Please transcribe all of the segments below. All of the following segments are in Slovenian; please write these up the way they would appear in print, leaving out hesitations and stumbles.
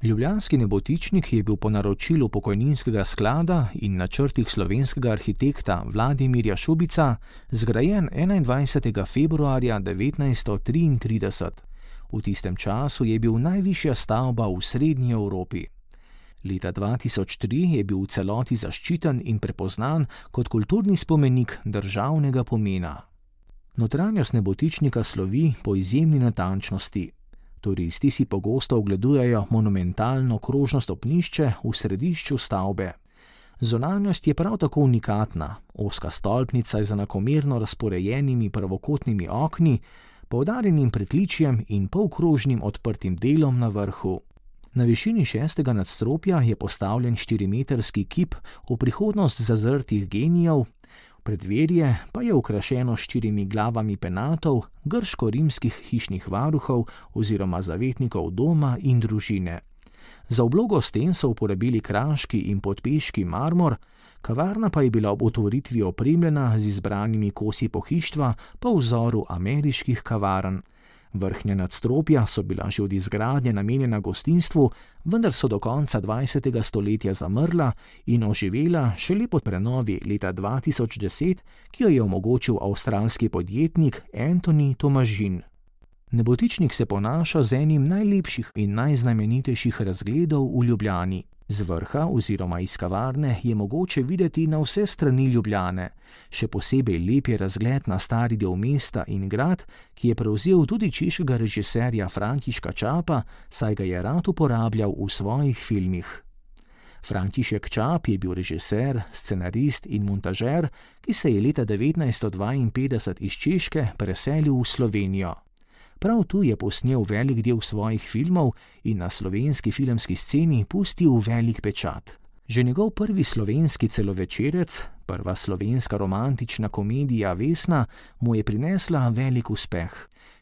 Ljubljanski Nebotičnik je bil po naročilu pokojninskega sklada in načrtih slovenskega arhitekta Vladimirja Šubica zgrajen 21. februarja 1933. V tistem času je bil najvišja stavba v srednji Evropi. Leta 2003 je bil v celoti zaščiten in prepoznan kot kulturni spomenik državnega pomena. Notranjost Nebotičnika slovi po izjemni natančnosti. Turisti si pogosto ogledujejo monumentalno krožno stopnišče v središču stavbe. Zunanjost je prav tako unikatna, ozka stolpnica je z enakomerno razporejenimi pravokotnimi okni, poudarjenim pritličjem in polkrožnim odprtim delom na vrhu. Na višini 6. nadstropja je postavljen 4-metrski kip v prihodnost zazrtih genijev, preddverje pa je okrašeno s 4 glavami penatov, grško-rimskih hišnih varuhov oziroma zavetnikov doma in družine. Za oblogo sten so uporabili kraški in podpeški marmor, kavarna pa je bila ob otvoritvi opremljena z izbranimi kosi pohištva po vzoru ameriških kavarn. Vrhnja nadstropja so bila že od izgradnje namenjena gostinstvu, vendar so do konca 20. stoletja zamrla in oživela šele po prenovi leta 2010, ki jo je omogočil avstralski podjetnik Anthony Tomažin. Nebotičnik se ponaša z enim najlepših in najznamenitejših razgledov v Ljubljani. Z vrha oziroma iz kavarne je mogoče videti na vse strani Ljubljane. Še posebej lep je razgled na stari del mesta in grad, ki je prevzel tudi češkega režiserja Františka Čapa, saj ga je rad uporabljal v svojih filmih. František Čap je bil režiser, scenarist in montažer, ki se je leta 1952 iz Češke preselil v Slovenijo. Prav tu je posnel velik del svojih filmov in na slovenski filmski sceni pustil velik pečat. Že njegov prvi slovenski celovečerec, prva slovenska romantična komedija Vesna, mu je prinesla velik uspeh.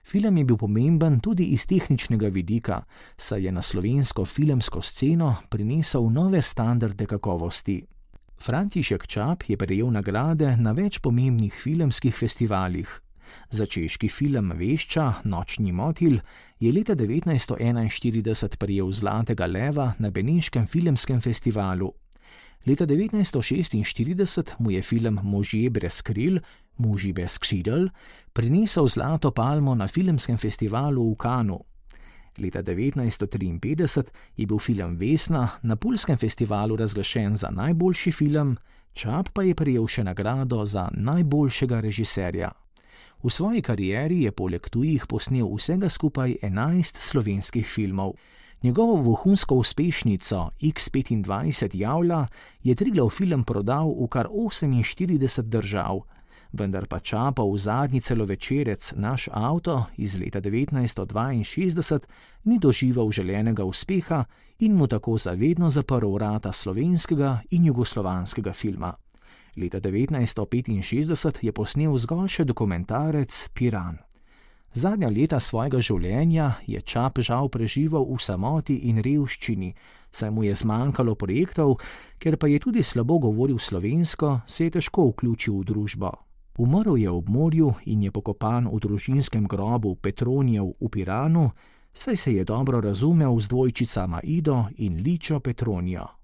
Film je bil pomemben tudi iz tehničnega vidika, saj je na slovensko filmsko sceno prinesel nove standarde kakovosti. František Čap je prejel nagrade na več pomembnih filmskih festivalih. Za češki film Vešča, Nočni motilj, je leta 1941 prejel Zlatega leva na Beneškem filmskem festivalu. Leta 1946 mu je film Možje brez kril, Muži bez křidel, prinesel Zlato palmo na filmskem festivalu v Cannesu. Leta 1953 je bil film Vesna na Pulskem festivalu razglašen za najboljši film, Čap pa je prejel še nagrado za najboljšega režiserja. V svoji karieri je poleg tujih posnel vsega skupaj 11 slovenskih filmov. Njegovo vohunsko uspešnico X25 Javlja je Triglav film prodal v kar 48 držav, vendar pa Čapov zadnji celovečerec Naš avto iz leta 1962 ni doživel želenega uspeha in mu tako zavedno zaprl vrata slovenskega in jugoslovanskega filma. Leta 1965 je posnel zgolj še dokumentarec Piran. Zadnja leta svojega življenja je Čap žal preživel v samoti in revščini, saj mu je zmanjkalo projektov, ker pa je tudi slabo govoril slovensko, se je težko vključil v družbo. Umrl je ob morju in je pokopan v družinskem grobu Petronijev v Piranu, saj se je dobro razumel z dvojčicama Ido in Ličo Petronijo.